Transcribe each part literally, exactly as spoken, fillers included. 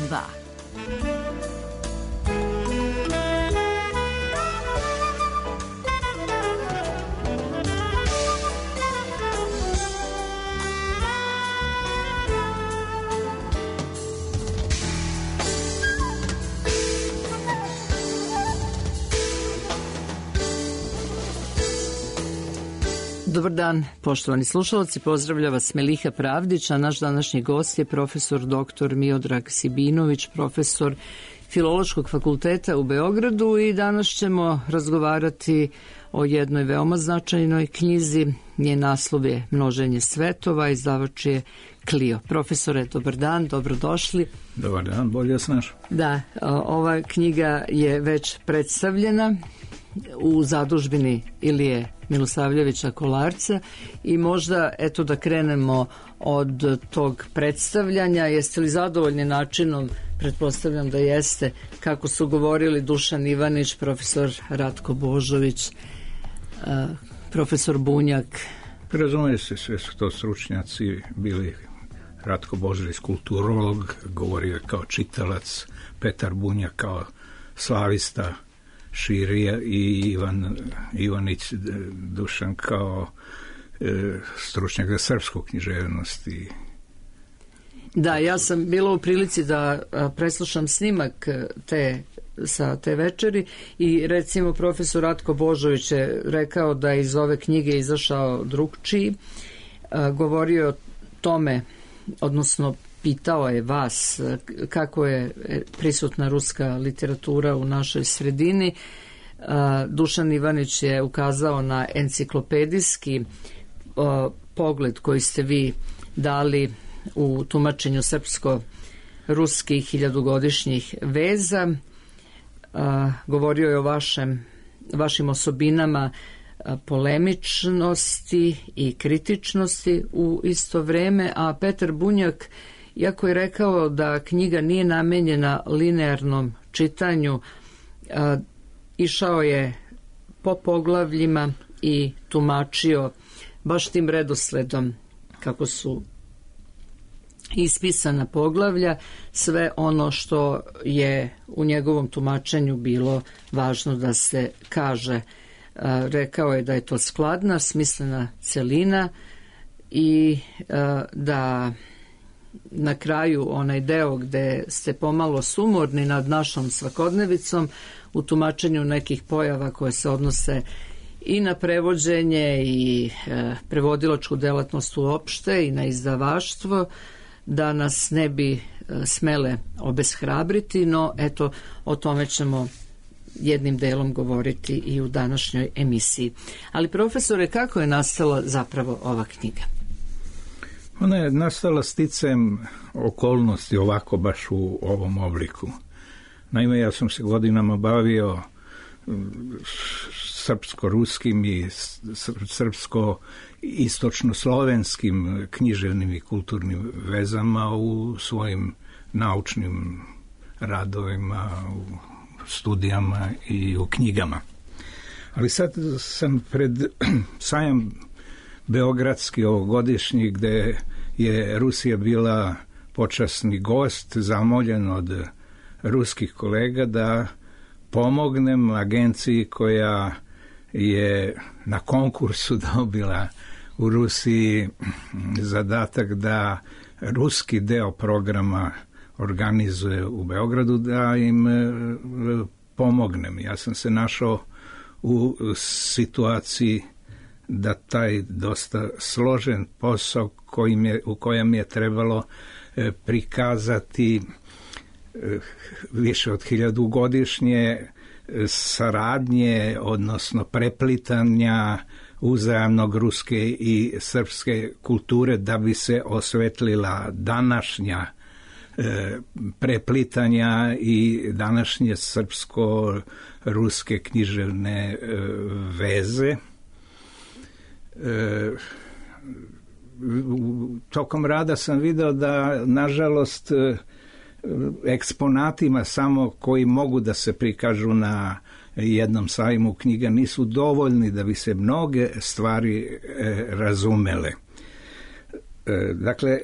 dva. Dobar dan, poštovani slušalci, pozdravlja vas Meliha Pravdić, a naš današnji gost je profesor doktor Miodrag Sibinović, profesor Filološkog fakulteta u Beogradu, i danas ćemo razgovarati o jednoj veoma značajnoj knjizi. Njen naslov je Množenje svetova, izdavač je Clio. Profesore, dobar dan, dobrodošli. Dobar dan, bolje vas našao. Da, ova knjiga je već predstavljena u zadužbini Ilije Milosavljevića Kolarca i možda, eto, da krenemo od tog predstavljanja. Jeste li zadovoljni načinom? Pretpostavljam da jeste. Kako su govorili Dušan Ivanić, profesor Ratko Božović, profesor Bunjak? Razumije se, sve su to stručnjaci bili. Ratko Božović kulturolog, govorio kao čitalac, Petar Bunjak kao slavista širija i Ivan Ivanić Dušan kao e, stručnjak za srpsku književnost. I... Da, ja sam bila u prilici da a, preslušam snimak te, sa te večeri i recimo profesor Ratko Božović je rekao da iz ove knjige izašao drugčiji. A, govorio je o tome, odnosno pitao je vas kako je prisutna ruska literatura u našoj sredini. Dušan Ivanić je ukazao na enciklopedijski pogled koji ste vi dali u tumačenju srpsko-ruskih hiljadugodišnjih veza. Govorio je o vašem, vašim osobinama polemičnosti i kritičnosti u isto vreme, a Petar Bunjak, iako je rekao da knjiga nije namenjena linearnom čitanju, a, išao je po poglavljima i tumačio baš tim redosledom kako su ispisana poglavlja sve ono što je u njegovom tumačenju bilo važno da se kaže. A, rekao je da je to skladna, smislena celina i a, da na kraju onaj deo gde ste pomalo sumorni nad našom svakodnevicom u tumačenju nekih pojava koje se odnose i na prevođenje i e, prevodilačku delatnost uopšte i na izdavaštvo, da nas ne bi e, smele obeshrabriti, no eto, o tome ćemo jednim delom govoriti i u današnjoj emisiji. Ali profesore, kako je nastala zapravo ova knjiga? Ona je nastala sticajem okolnosti ovako baš u ovom obliku. Naime, ja sam se godinama bavio srpsko-ruskim i srpsko-istočno-slovenskim književnim i kulturnim vezama u svojim naučnim radovima, u studijama i u knjigama. Ali sad sam pred sajam beogradski ovogodišnji, gde je Rusija bila počasni gost, zamoljen od ruskih kolega da pomognem agenciji koja je na konkursu dobila u Rusiji zadatak da ruski deo programa organizuje u Beogradu, da im pomognem. Ja sam se našao u situaciji da taj dosta složen posao kojim je, u kojem je trebalo e, prikazati e, više od hiljadu godišnje e, saradnje, odnosno preplitanja uzajamnog ruske i srpske kulture, da bi se osvetlila današnja e, preplitanja i današnje srpsko-ruske književne e, veze. E, tokom rada sam video da, nažalost, eksponatima samo koji mogu da se prikažu na jednom sajmu knjiga nisu dovoljni da bi se mnoge stvari e, razumele. Dakle,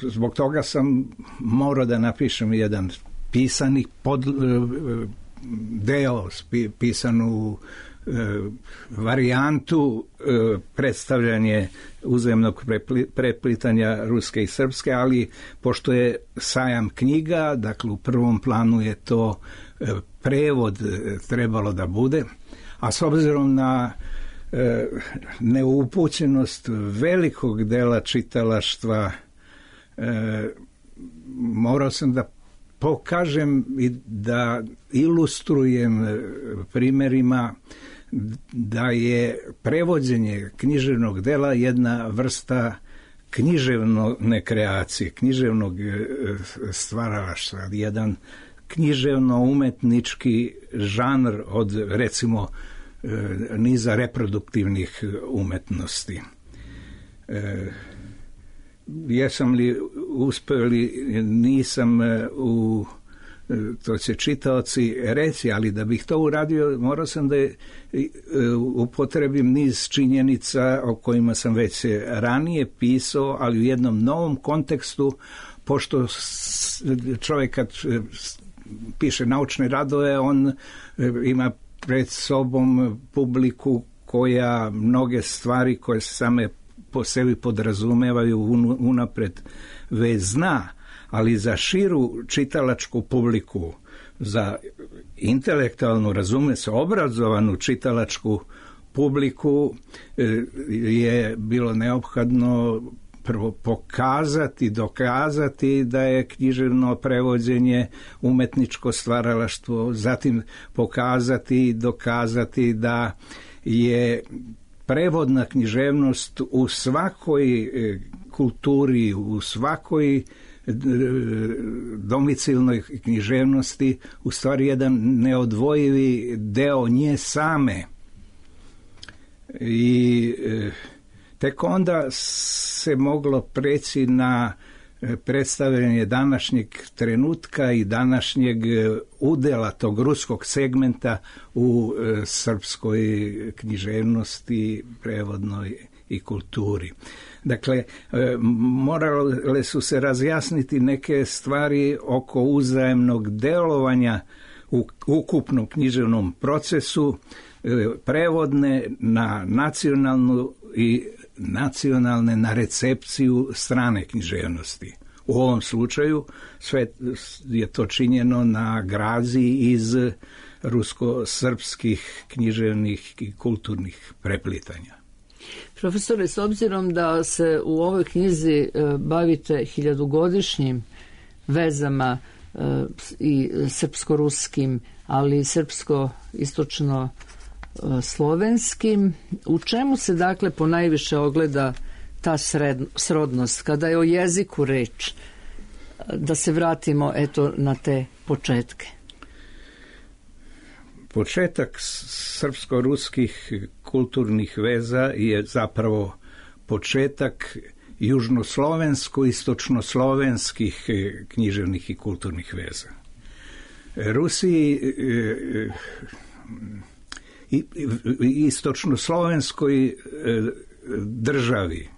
zbog toga sam morao da napišem jedan pisani pod, deo, pisanu varijantu predstavljanje uzajamnog preplitanja ruske i srpske, ali pošto je sajam knjiga, dakle u prvom planu je to prevod trebalo da bude, a s obzirom na neupućenost velikog dela čitalaštva, morao sam da pokažem i da ilustrujem primjerima da je prevođenje književnog dela jedna vrsta književne kreacije, književnog stvaralaštva, jedan književno-umetnički žanr od, recimo, niza reproduktivnih umetnosti. E, jesam li uspeo ili nisam u, to će čitaoci reći, ali da bih to uradio morao sam da je, upotrebim niz činjenica o kojima sam već ranije pisao, ali u jednom novom kontekstu, pošto čovjek kad piše naučne radove, on ima pred sobom publiku koja mnoge stvari koje se same po sebi podrazumevaju unapred već zna, ali za širu čitalačku publiku, za intelektualnu, razume se, obrazovanu čitalačku publiku je bilo neophodno prvo pokazati, dokazati da je književno prevođenje umetničko stvaralaštvo, zatim pokazati i dokazati da je prevodna književnost u svakoj kulturi, u svakoj domicilnoj književnosti u stvari jedan neodvojivi deo nje same. I tek onda se moglo preći na predstavljanje današnjeg trenutka i današnjeg udela tog ruskog segmenta u srpskoj književnosti, prevodnoj i kulturi. Dakle, morale su se razjasniti neke stvari oko uzajemnog delovanja u ukupnom književnom procesu, prevodne na nacionalnu i nacionalne na recepciju strane književnosti. U ovom slučaju sve je to činjeno na grazi iz rusko-srpskih književnih i kulturnih preplitanja. Profesore, s obzirom da se u ovoj knjizi bavite hiljadugodišnjim vezama i srpsko-ruskim, ali i srpsko-istočno slovenskim, u čemu se dakle ponajviše ogleda ta sred, srodnost, kada je o jeziku reč, da se vratimo eto na te početke? Početak srpsko-ruskih kulturnih veza je zapravo početak južnoslovensko-istočnoslovenskih književnih i kulturnih veza. Rusiji i istočnoslovenskoj državi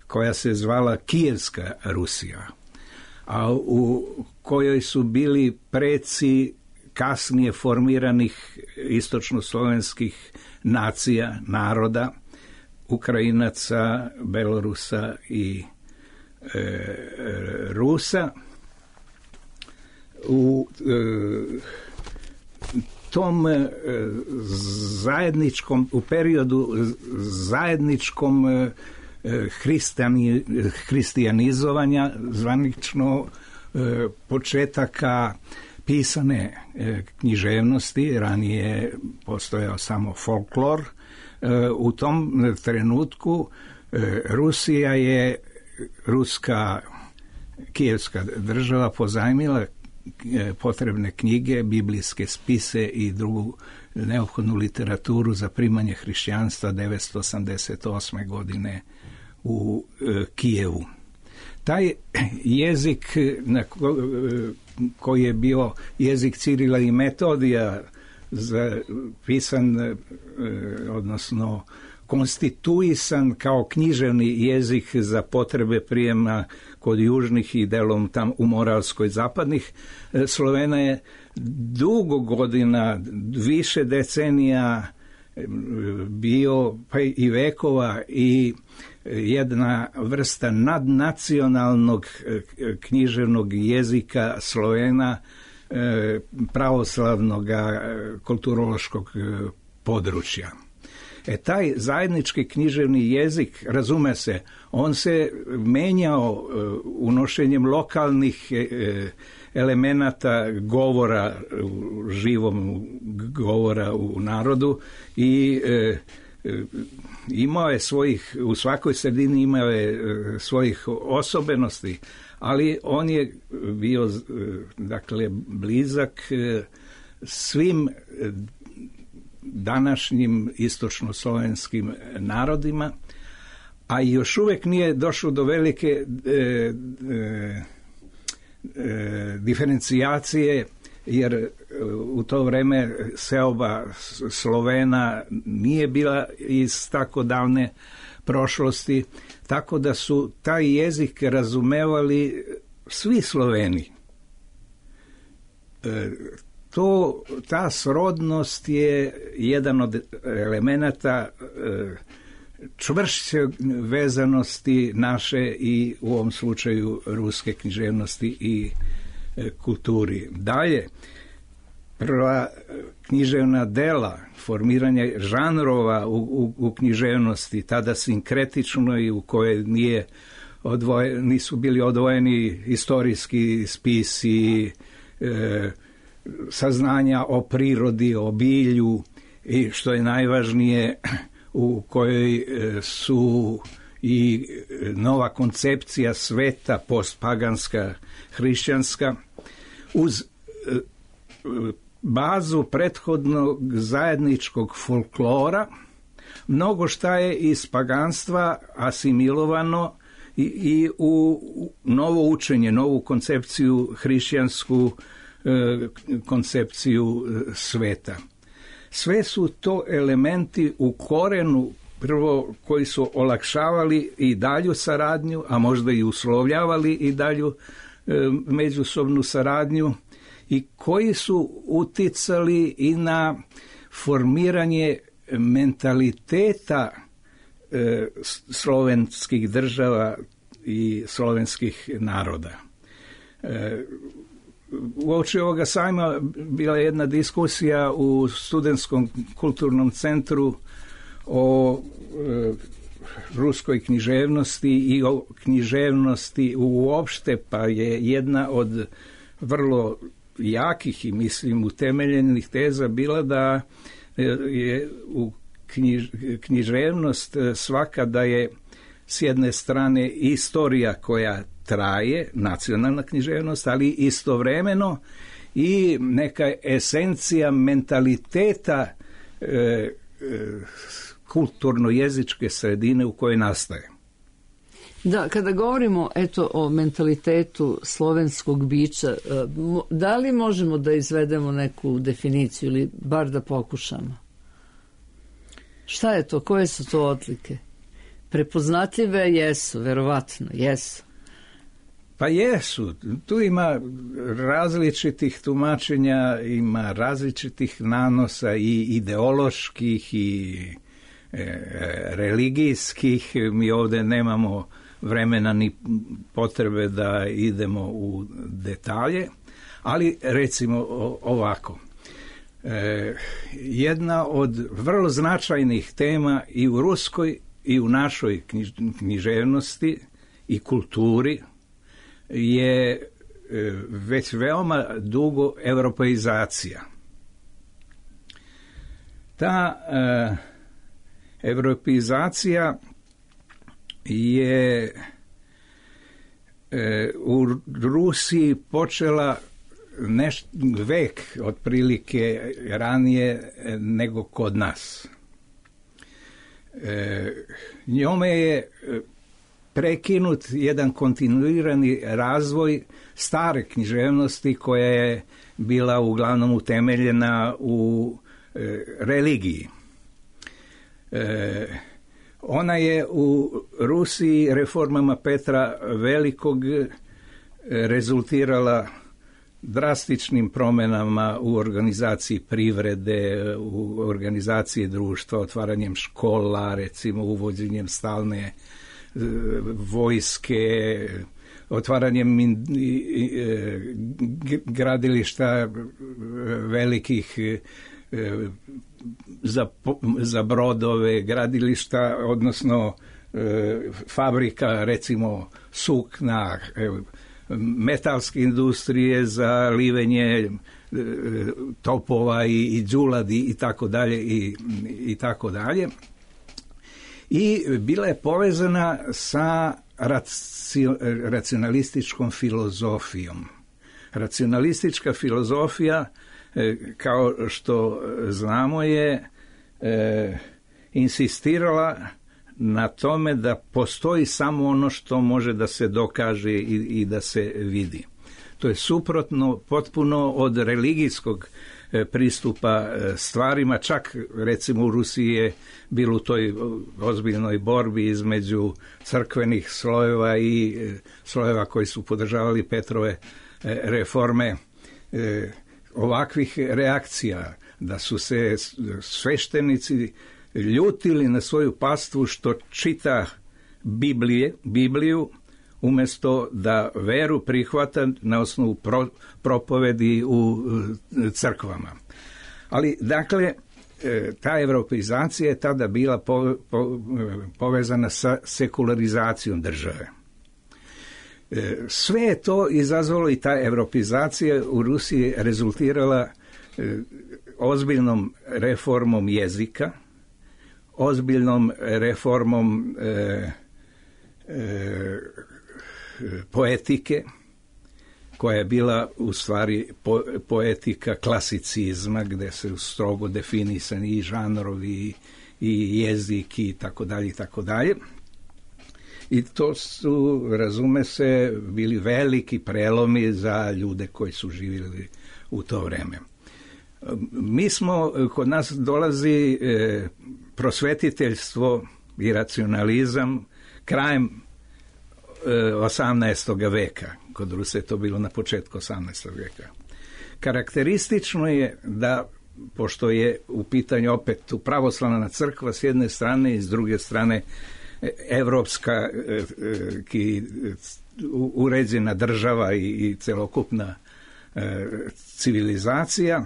koja se zvala Kijevska Rusija, a u kojoj su bili preci kasnije formiranih istočnoslovenskih nacija, naroda, Ukrajinaca, Belorusa i e, Rusa. U e, tom e, zajedničkom, u periodu zajedničkom e, hristijani, hristijanizovanja, zvanično e, početaka pisane e, književnosti, ranije postojao samo folklor. E, u tom trenutku e, Rusija je, ruska kijevska država pozajmila e, potrebne knjige, biblijske spise i drugu neophodnu literaturu za primanje hrišćanstva devetsto osamdeset osme godine u e, Kijevu. Taj jezik na ko, koji je bio jezik Cirila i Metodija, za, pisan, odnosno konstituisan kao književni jezik za potrebe prijema kod južnih i delom tam u Moravskoj zapadnih Slovena je dugo godina, više decenija bio, pa i vekova, i jedna vrsta nadnacionalnog književnog jezika Slovena, pravoslavnog kulturološkog područja. E, taj zajednički književni jezik, razume se, on se menjao unošenjem lokalnih elemenata govora, živom govora u narodu, i e, imao je svojih, u svakoj sredini imao je svojih osobenosti, ali on je bio, dakle, blizak svim današnjim istočnoslovenskim narodima, a još uvijek nije došlo do velike e, e, e, diferencijacije, jer u to vreme seoba Slovena nije bila iz tako davne prošlosti, tako da su taj jezik razumevali svi Sloveni. E, to, ta srodnost je jedan od elemenata e, čvršće vezanosti naše i u ovom slučaju ruske književnosti i e, kulturi. Dalje, prva književna dela, formiranje žanrova u, u, u književnosti, tada sinkretično i u kojoj nije odvoje, nisu bili odvojeni istorijski spisi, e, saznanja o prirodi, o bilju, i što je najvažnije, u kojoj su i nova koncepcija sveta, postpaganska, hrišćanska, uz bazu prethodnog zajedničkog folklora, mnogo šta je iz paganstva asimilovano i, i u novo učenje, novu koncepciju hrišćansku, koncepciju sveta. Sve su to elementi u korenu, prvo, koji su olakšavali i dalju saradnju, a možda i uslovljavali i dalju e, međusobnu saradnju, i koji su uticali i na formiranje mentaliteta e, slovenskih država i slovenskih naroda. E, Uoči ovoga sajma bila je jedna diskusija u Studentskom kulturnom centru o e, ruskoj književnosti i o književnosti uopšte, pa je jedna od vrlo jakih i mislim utemeljenih teza bila da je u knjiž, književnost svaka da je s jedne strane istorija koja traje, nacionalna književnost, ali istovremeno i neka esencija mentaliteta e, e, kulturno-jezičke sredine u kojoj nastaje. Da, kada govorimo eto o mentalitetu slovenskog bića, da li možemo da izvedemo neku definiciju ili bar da pokušamo? Šta je to? Koje su to odlike? Prepoznatljive jesu, verovatno, jesu. Pa jesu. Tu ima različitih tumačenja, ima različitih nanosa i ideoloških i e, religijskih. Mi ovdje nemamo vremena ni potrebe da idemo u detalje, ali recimo ovako. E, jedna od vrlo značajnih tema i u ruskoj i u našoj knjiž, književnosti i kulturi je već veoma dugo evropeizacija. Ta e, evropeizacija je e, u Rusiji počela neš, vek otprilike ranije nego kod nas. E, njome je prekinut jedan kontinuirani razvoj stare književnosti koja je bila uglavnom utemeljena u e, religiji. E, Ona je u Rusiji reformama Petra Velikog rezultirala drastičnim promjenama u organizaciji privrede, u organizaciji društva, otvaranjem škola, recimo uvođenjem stalne vojske, otvaranjem gradilišta velikih za, za brodove, gradilišta, odnosno fabrika, recimo sukna, metalske industrije za livenje topova i, i đuladi i tako dalje i, i tako dalje. I bila je povezana sa raci, racionalističkom filozofijom. Racionalistička filozofija, kao što znamo, je e, insistirala na tome da postoji samo ono što može da se dokaže i, i da se vidi. To je suprotno potpuno od religijskog pristupa stvarima, čak recimo u Rusiji je bilo u toj ozbiljnoj borbi između crkvenih slojeva i slojeva koji su podržavali Petrove reforme, ovakvih reakcija, da su se sveštenici ljutili na svoju pastvu što čita Biblije, Bibliju, umjesto da veru prihvata na osnovu pro, propovedi u crkvama. Ali, dakle, ta evropeizacija je tada bila po, po, povezana sa sekularizacijom države. Sve je to izazvalo i ta evropeizacija u Rusiji rezultirala ozbiljnom reformom jezika, ozbiljnom reformom e, e, poetike, koja je bila u stvari po, poetika klasicizma, gdje se strogo definisani i žanrovi i jezik i tako dalje i tako dalje. I to su, razume se, bili veliki prelomi za ljude koji su živjeli u to vreme. Mi smo, kod nas dolazi e, prosvetiteljstvo i racionalizam krajem e, osamnaestog veka. Kod Rusa je to bilo na početku osamnaestog veka. Karakteristično je da, pošto je u pitanju opet pravoslavna crkva s jedne strane i s druge strane evropska ki, uređena država i, i celokupna e, civilizacija,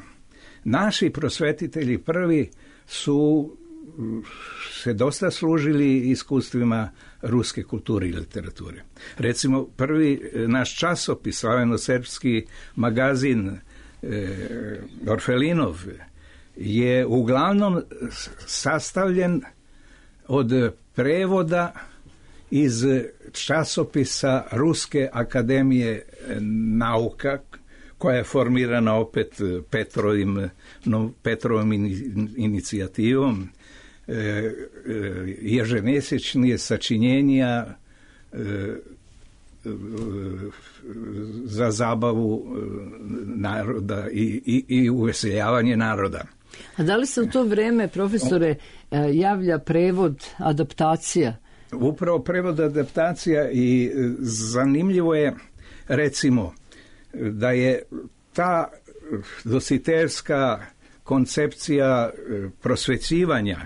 naši prosvetitelji prvi su se dosta služili iskustvima ruske kulture i literature. Recimo, prvi naš časopis, slaveno-srpski magazin e, Orfelinov, je uglavnom sastavljen od prevoda iz časopisa Ruske akademije nauka, koja je formirana opet Petrovim, no, Petrovom inicijativom, e, ježemjesečnije sačinjenja e, za zabavu naroda i, i, i uveseljavanje naroda. A da li se u to vreme, profesore, javlja prevod, adaptacija? Upravo prevod, adaptacija, i zanimljivo je, recimo, da je ta dositerska koncepcija prosvećivanja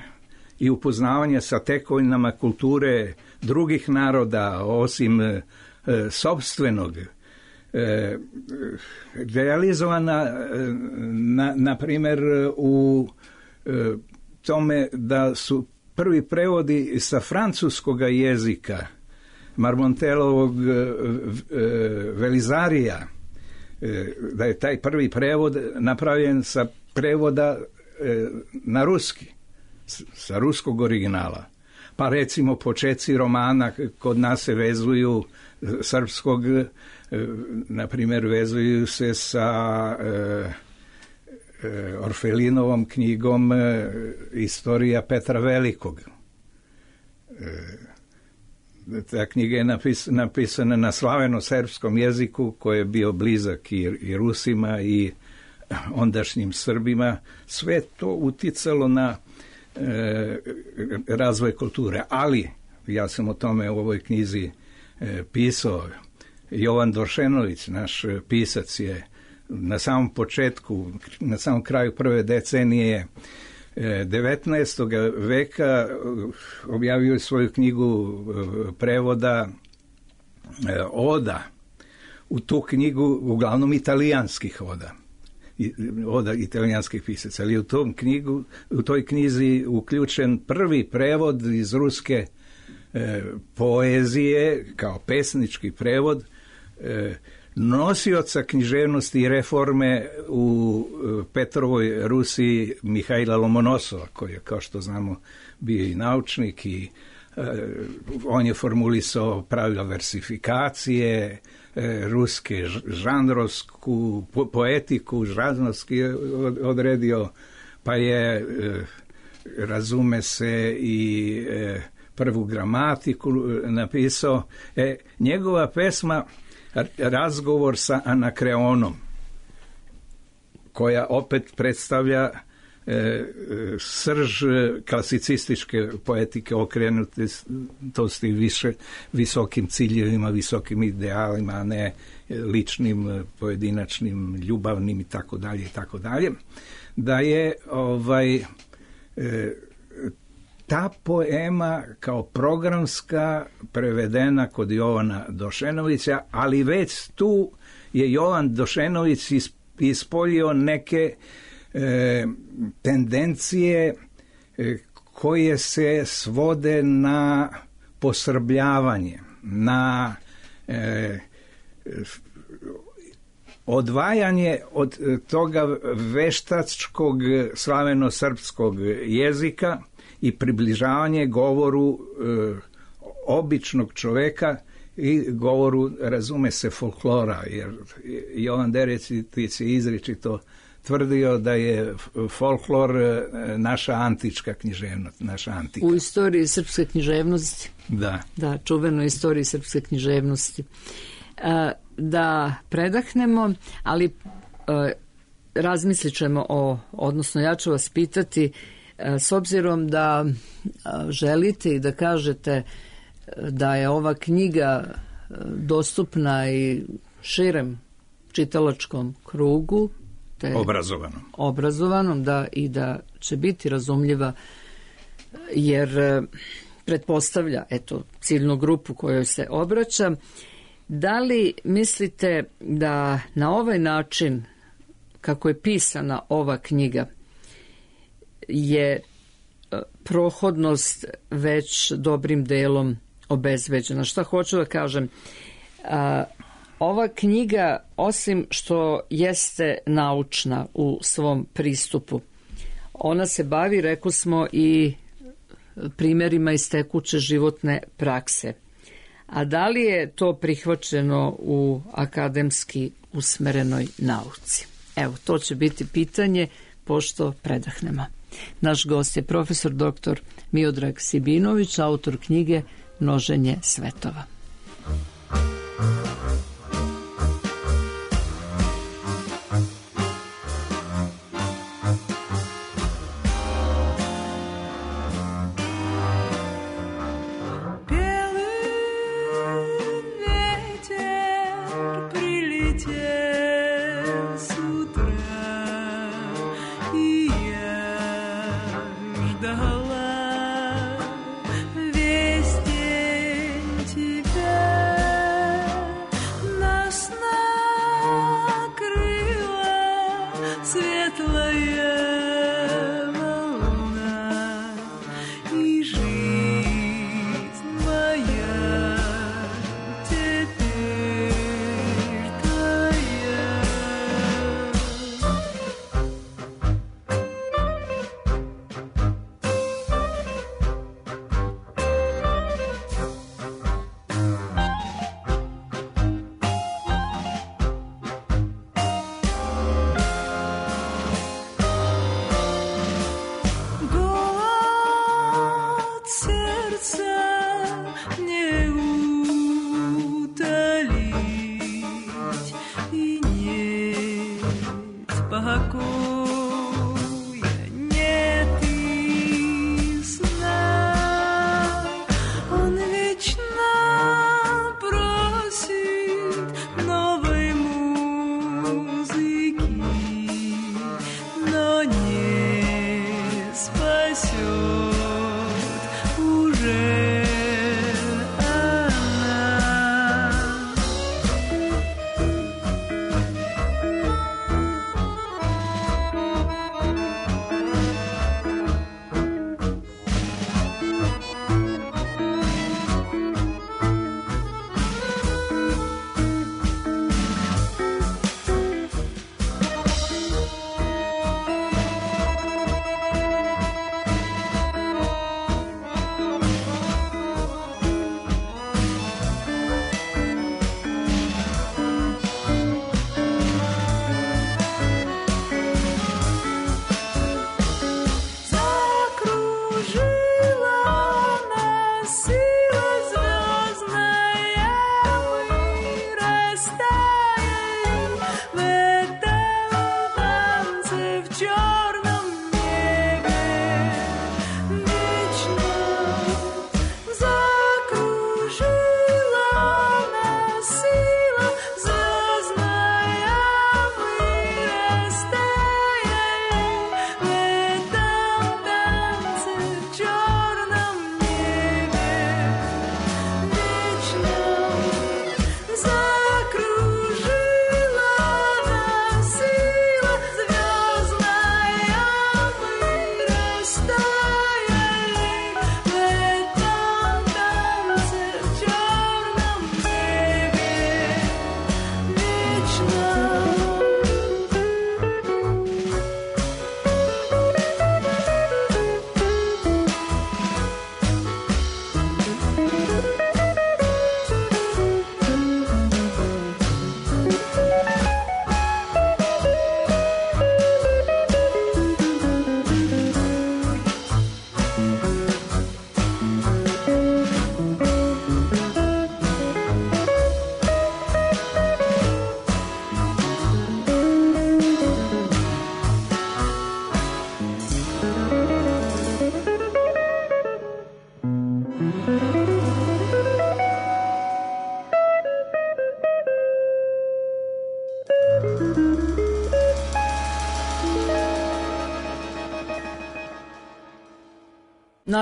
i upoznavanja sa tekovinama kulture drugih naroda, osim e, sopstvenog, e, realizovana, na, na primjer, u e, tome da su prvi prevodi sa francuskog jezika Marmontelovog e, e, Velizarija, e, da je taj prvi prevod napravljen sa prevoda e, na ruski, sa ruskog originala. Pa recimo počeci romana kod nas se vezuju srpskog, e, na primjer vezuju se sa e, e, Orfelinovom knjigom e, Istorija Petra Velikog. E, ta knjiga je napis, napisana na slaveno-srpskom jeziku koji je bio blizak i, i Rusima i ondašnjim Srbima. Sve to uticalo na e, razvoj kulture. Ali, ja sam o tome u ovoj knjizi e, pisao, Jovan Došenović, naš pisac, je na samom početku, na samom kraju prve decenije devetnaestog veka objavio svoju knjigu prevoda oda. U tu knjigu, uglavnom italijanskih oda, oda italijanskih pisaca, ali u tom knjigu, u toj knjizi uključen prvi prevod iz ruske e, poezije, kao pesnički prevod, e, nosioca književnosti i reforme u Petrovoj Rusiji Mihajla Lomonosova, koji je, kao što znamo, bio i naučnik i e, on je formulisao pravila versifikacije, e, ruske žanrovsku po, poetiku, žanrovski odredio, pa je, e, razume se, i e, prvu gramatiku napisao. E, njegova pesma Razgovor sa Anakreonom, koja opet predstavlja e, srž klasicističke poetike okrenutosti više visokim ciljevima, visokim idealima, a ne ličnim, pojedinačnim, ljubavnim i tako dalje i tako dalje, da je ovaj e, ta poema kao programska prevedena kod Jovana Došenovića, ali već tu je Jovan Došenović ispoljio neke e, tendencije e, koje se svode na posrbljavanje, na e, odvajanje od toga veštačkog slaveno-srpskog jezika i približavanje govoru e, običnog čoveka i govoru, razume se, folklora, jer Jovan Derecitić je izričito tvrdio da je folklor naša antička književnost, naša antika. U istoriji srpske književnosti. Da. Da, čuvenoj istoriji srpske književnosti. E, da predahnemo, ali e, razmislit ćemo o, odnosno ja ću vas pitati, s obzirom da želite i da kažete da je ova knjiga dostupna i širem čitalačkom krugu, te obrazovanom, obrazovanom da, i da će biti razumljiva, jer pretpostavlja, eto, ciljnu grupu kojoj se obraća, da li mislite da na ovaj način, kako je pisana ova knjiga, je prohodnost već dobrim delom obezbeđena? Šta hoću da kažem? A, ova knjiga, osim što jeste naučna u svom pristupu, ona se bavi, rekli smo, i primjerima iz tekuće životne prakse. A da li je to prihvaćeno u akademski usmerenoj nauci? Evo, to će biti pitanje pošto predahnemo. Naš gost je profesor doktor Miodrag Sibinović, autor knjige Množenje svetova. Вести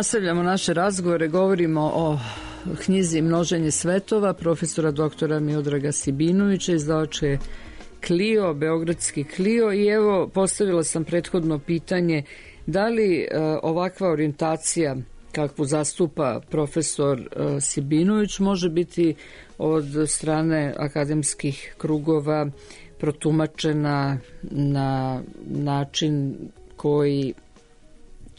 Nastavljamo naše razgovore, govorimo o knjizi Množenje svetova profesora doktora Miodraga Sibinovića, izdavače Clio, beogradski Clio. I evo, postavila sam prethodno pitanje da li e, ovakva orijentacija kakvu zastupa profesor e, Sibinović može biti od strane akademskih krugova protumačena na način koji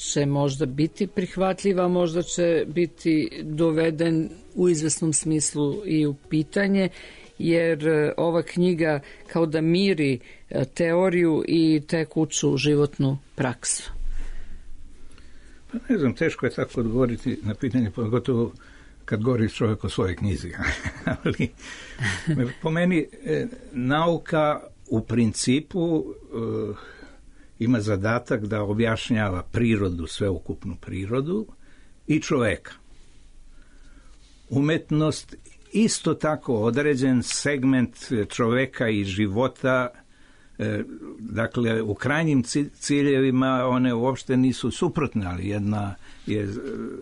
će možda biti prihvatljiva, možda će biti doveden u izvesnom smislu i u pitanje, jer ova knjiga kao da miri teoriju i tekuću životnu praksu. Pa ne znam, teško je tako odgovoriti na pitanje, pogotovo kad govori čovjek o svojoj knjizi. Ali po meni nauka u principu ima zadatak da objašnjava prirodu, sveukupnu prirodu i čoveka. Umetnost isto tako određen segment čoveka i života, dakle u krajnjim ciljevima one uopšte nisu suprotne, ali jedna je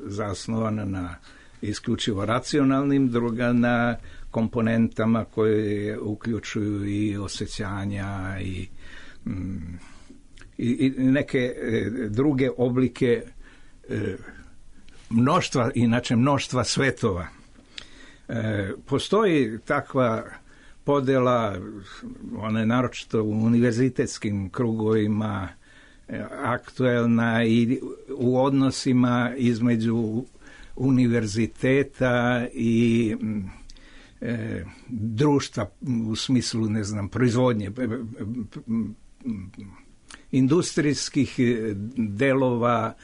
zasnovana na isključivo racionalnim, druga na komponentama koje uključuju i osjećanja i mm, i neke druge oblike mnoštva, inače mnoštva svetova. Postoji takva podela, ona je naročito u univerzitetskim krugovima aktuelna i u odnosima između univerziteta i e, društva u smislu, ne znam, proizvodnje, industrijskih delova,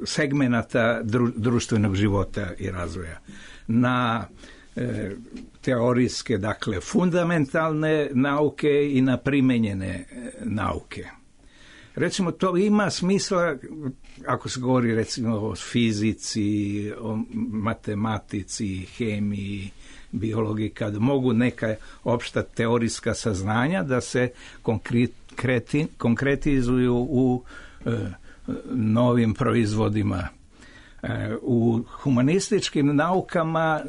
segmenata društvenog života i razvoja. Na teorijske, dakle, fundamentalne nauke i na primenjene nauke. Recimo, to ima smisla ako se govori recimo o fizici, o matematici, hemiji, biologiji, kad mogu neka opšta teorijska saznanja da se konkreti, konkretizuju u e, novim proizvodima. E, u humanističkim naukama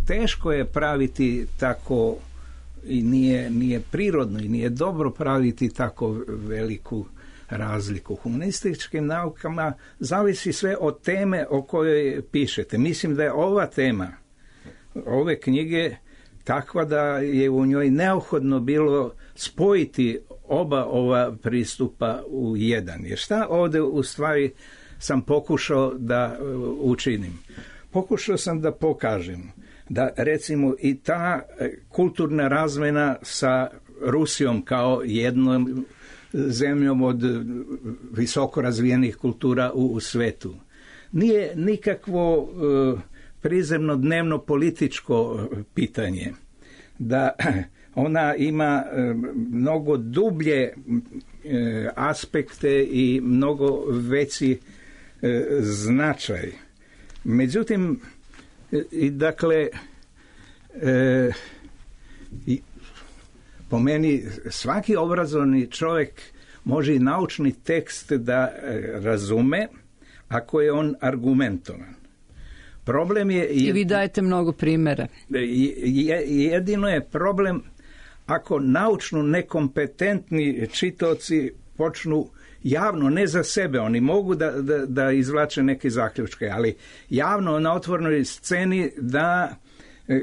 teško je praviti tako i nije, nije prirodno i nije dobro praviti tako veliku razliku. U humanističkim naukama zavisi sve od teme o kojoj pišete. Mislim da je ova tema ove knjige takva da je u njoj neophodno bilo spojiti oba ova pristupa u jedan. Jer šta ovdje u stvari sam pokušao da učinim? Pokušao sam da pokažem da recimo i ta kulturna razmena sa Rusijom kao jednom zemljom od visoko razvijenih kultura u, u svetu, nije nikakvo uh, prizemno dnevno političko pitanje, da ona ima mnogo dublje aspekte i mnogo veći značaj. Međutim, i dakle, i po meni svaki obrazovni čovjek može i naučni tekst da razume ako je on argumentovan. Problem je... I vi dajete mnogo primjera. Jedino je problem ako naučno nekompetentni čitaoci počnu javno, ne za sebe, oni mogu da, da, da izvlače neke zaključke, ali javno na otvorenoj sceni da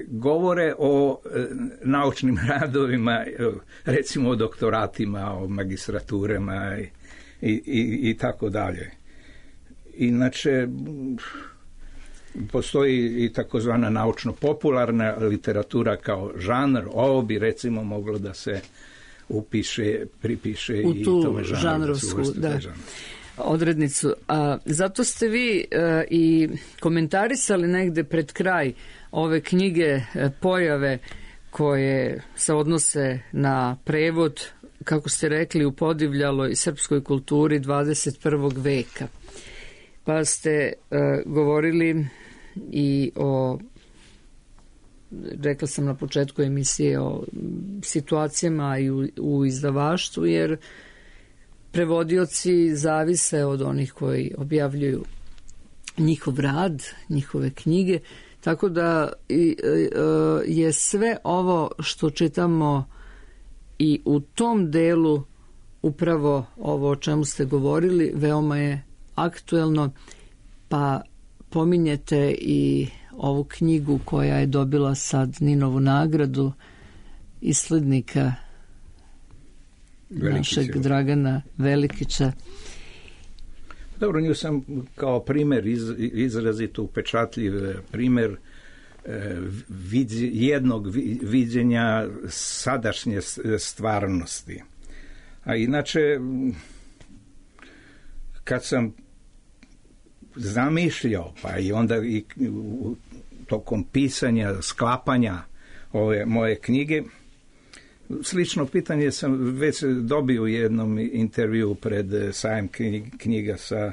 govore o naučnim radovima, recimo o doktoratima, o magistraturama i, i, i tako dalje. Inače, postoji i takozvana naučno-popularna literatura kao žanr, ovo bi recimo moglo da se upiše, pripiše u i tu tome žanrovsku da, odrednicu. A, zato ste vi a, i komentarisali negde pred kraj ove knjige a, pojave koje se odnose na prevod, kako ste rekli, u podivljaloj srpskoj kulturi dvadeset prvog veka. Pa ste uh, govorili i o, rekla sam na početku emisije, o situacijama i u, u izdavaštvu, jer prevodioci zavise od onih koji objavljuju njihov rad, njihove knjige, tako da i, uh, je sve ovo što čitamo i u tom delu upravo ovo o čemu ste govorili veoma je aktuelno, pa pominjete i ovu knjigu koja je dobila sad Ninovu nagradu, Islednika Velikića. Našeg Dragana Velikića. Dobro, nju sam kao primjer, iz, izrazito upečatljiv primjer eh, vidje, jednog viđenja sadašnje stvarnosti. A inače, kad sam zamišljao, pa i onda i tokom pisanja, sklapanja ove moje knjige, slično pitanje sam već dobio u jednom intervju pred sajam knjiga sa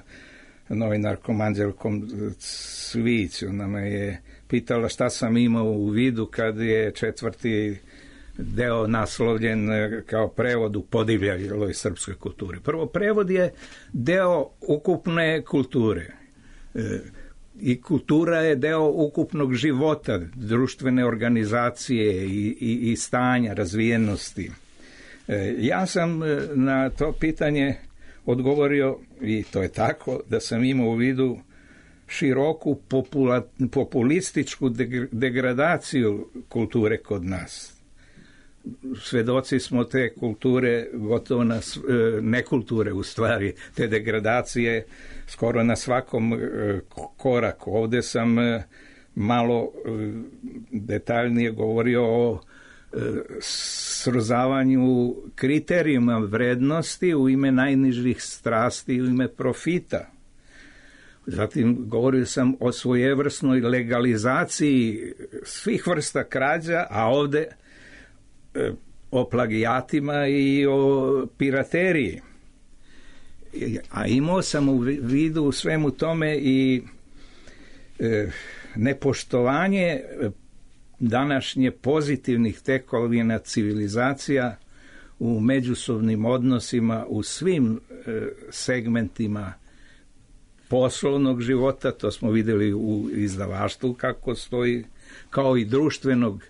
novinarkom Anđelkom Cvić. Ona me je pitala šta sam imao u vidu kad je četvrti deo naslovljen kao prevod u podivljaloj srpskoj kulturi. Prvo, prevod je deo ukupne kulture. I kultura je deo ukupnog života, društvene organizacije i, i, i stanja, razvijenosti. Ja sam na to pitanje odgovorio, i to je tako, da sam imao u vidu široku popula, populističku degradaciju kulture kod nas. Svedoci smo te kulture, gotovo na, ne kulture u stvari, te degradacije skoro na svakom koraku. Ovdje sam malo detaljnije govorio o srozavanju kriterijuma vrednosti u ime najnižih strasti i u ime profita. Zatim govorio sam o svojevrsnoj legalizaciji svih vrsta krađa, a ovdje o plagijatima i o pirateriji. A imao sam u vidu u svemu tome i e, nepoštovanje današnje pozitivnih tekovina civilizacija u međusobnim odnosima u svim e, segmentima poslovnog života, to smo vidjeli u izdavaštvu kako stoji, kao i društvenog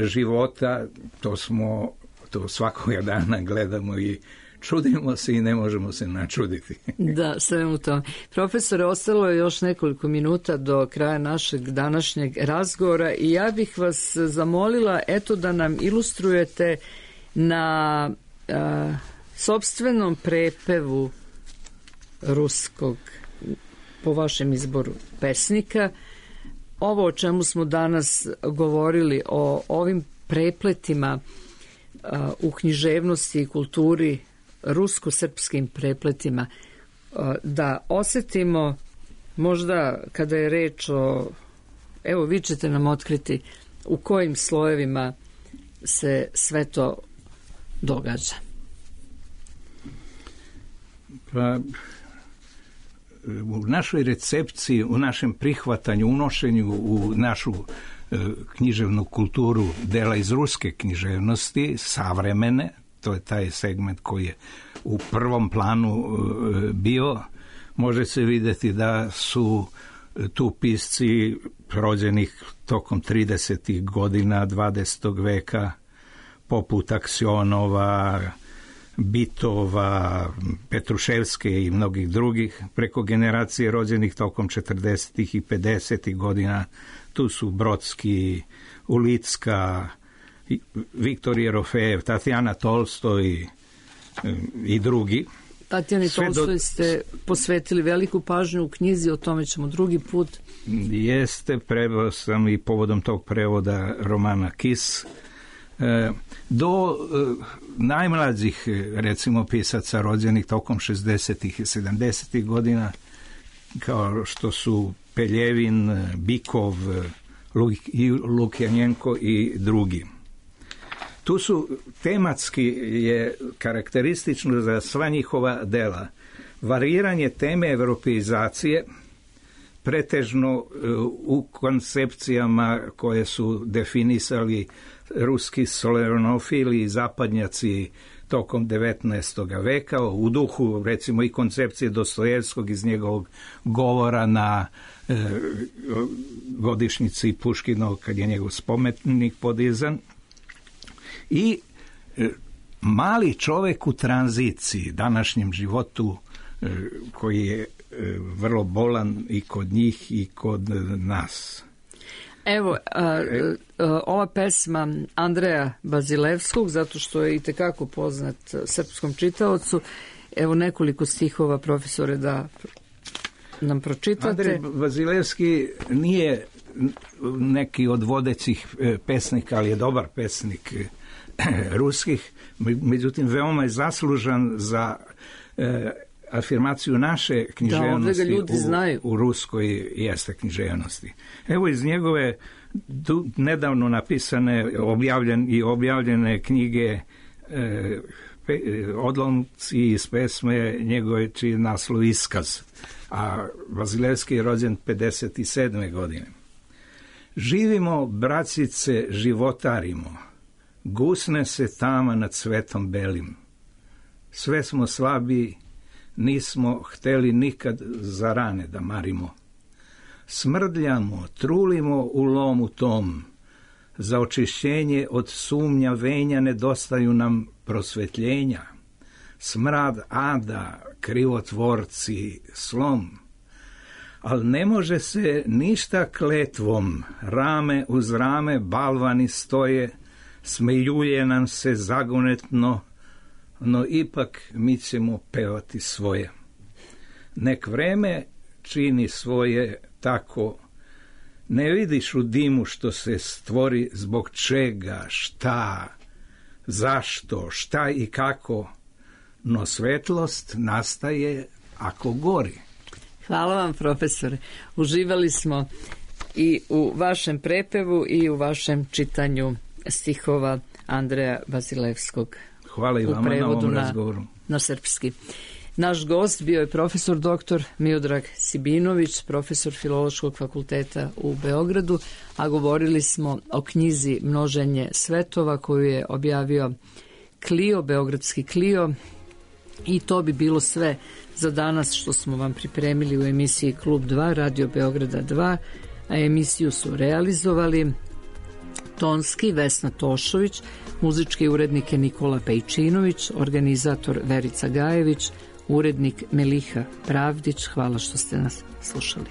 života, to smo, to svakoga dana gledamo i čudimo se i ne možemo se načuditi. Da, svemu tome. Profesore, ostalo je još nekoliko minuta do kraja našeg današnjeg razgovora i ja bih vas zamolila, eto, da nam ilustrujete na a, sopstvenom prepevu ruskog, po vašem izboru, pesnika. Ovo o čemu smo danas govorili, o ovim prepletima a, u književnosti i kulturi, rusko-srpskim prepletima, a, da osetimo Možda kada je reč o, evo vi ćete nam otkriti u kojim slojevima se sve to događa. Pa, u našoj recepciji, u našem prihvatanju, unošenju u našu e, književnu kulturu dela iz ruske književnosti, savremene, to je taj segment koji je u prvom planu e, bio, može se vidjeti da su tu pisci rođenih tokom tridesetih godina dvadesetog veka, poput Aksionova, Bitova, Petruševske i mnogih drugih, preko generacije rođenih tokom četrdesetih i pedesetih godina. Tu su Brodski, Ulicka, Viktor Jerofejev, Tatjana Tolstoj i drugi. Tatjani Tolstoj ste posvetili veliku pažnju u knjizi, o tome ćemo drugi put. Jeste, preveo sam i povodom tog prevoda romana Kis. Do najmlađih, recimo, pisaca rođenih tokom šezdesetih i sedamdesetih godina, kao što su Peljevin, Bikov, Lukjanjenko i drugi. Tu su tematski je karakteristično za sva njihova dela variranje teme europeizacije, pretežno u koncepcijama koje su definisali ruski solenofili i zapadnjaci tokom devetnaestog veka, u duhu recimo i koncepcije Dostojevskog iz njegovog govora na e, godišnjici Puškinog kad je njegov spomenik podizan. I e, mali čovjek u tranziciji, današnjem životu e, koji je e, vrlo bolan i kod njih i kod nas. Evo, a, a, ova pesma Andreja Bazilevskog, zato što je itekako poznat srpskom čitaocu, evo nekoliko stihova, profesore, da nam pročitate. Andrej Bazilevski nije neki od vodećih pesnika, ali je dobar pesnik ruskih, međutim veoma je zaslužan za e, afirmaciju naše književnosti da, u, u ruskoj jeste književnosti. Evo iz njegove du, nedavno napisane objavljen, i objavljene knjige e, pe, odlomci iz pesme njegove čiji naslov Iskaz, a Bazilevski je rođen pedeset sedme godine. Živimo, bracice, životarimo, gusne se tama nad svetom belim. Sve smo slabi, nismo hteli nikad za rane da marimo. Smrdljamo, trulimo u lomu tom, za očišćenje od sumnja venja nedostaju nam prosvetljenja. Smrad ada, krivotvorci, slom. Al ne može se ništa kletvom, rame uz rame balvani stoje, smeljuje nam se zagonetno, no ipak mi ćemo pevati svoje. Nek vreme čini svoje tako, ne vidiš u dimu što se stvori, zbog čega, šta, zašto, šta i kako, no svetlost nastaje ako gori. Hvala vam, profesore. Uživali smo i u vašem prepevu i u vašem čitanju stihova Andreja Bazilevskog. Hvala i vama na ovom razgovoru. Na, na srpski. Naš gost bio je profesor doktor Miodrag Sibinović, profesor Filološkog fakulteta u Beogradu, a govorili smo o knjizi Množenje svetova koju je objavio Klio, beogradski Klio, i to bi bilo sve za danas što smo vam pripremili u emisiji Klub dva, Radio Beograda dva, a emisiju su realizovali tonski Vesna Tošović, muzički urednik je Nikola Pejčinović, organizator Verica Gajević, urednik Meliha Pravdić. Hvala što ste nas slušali.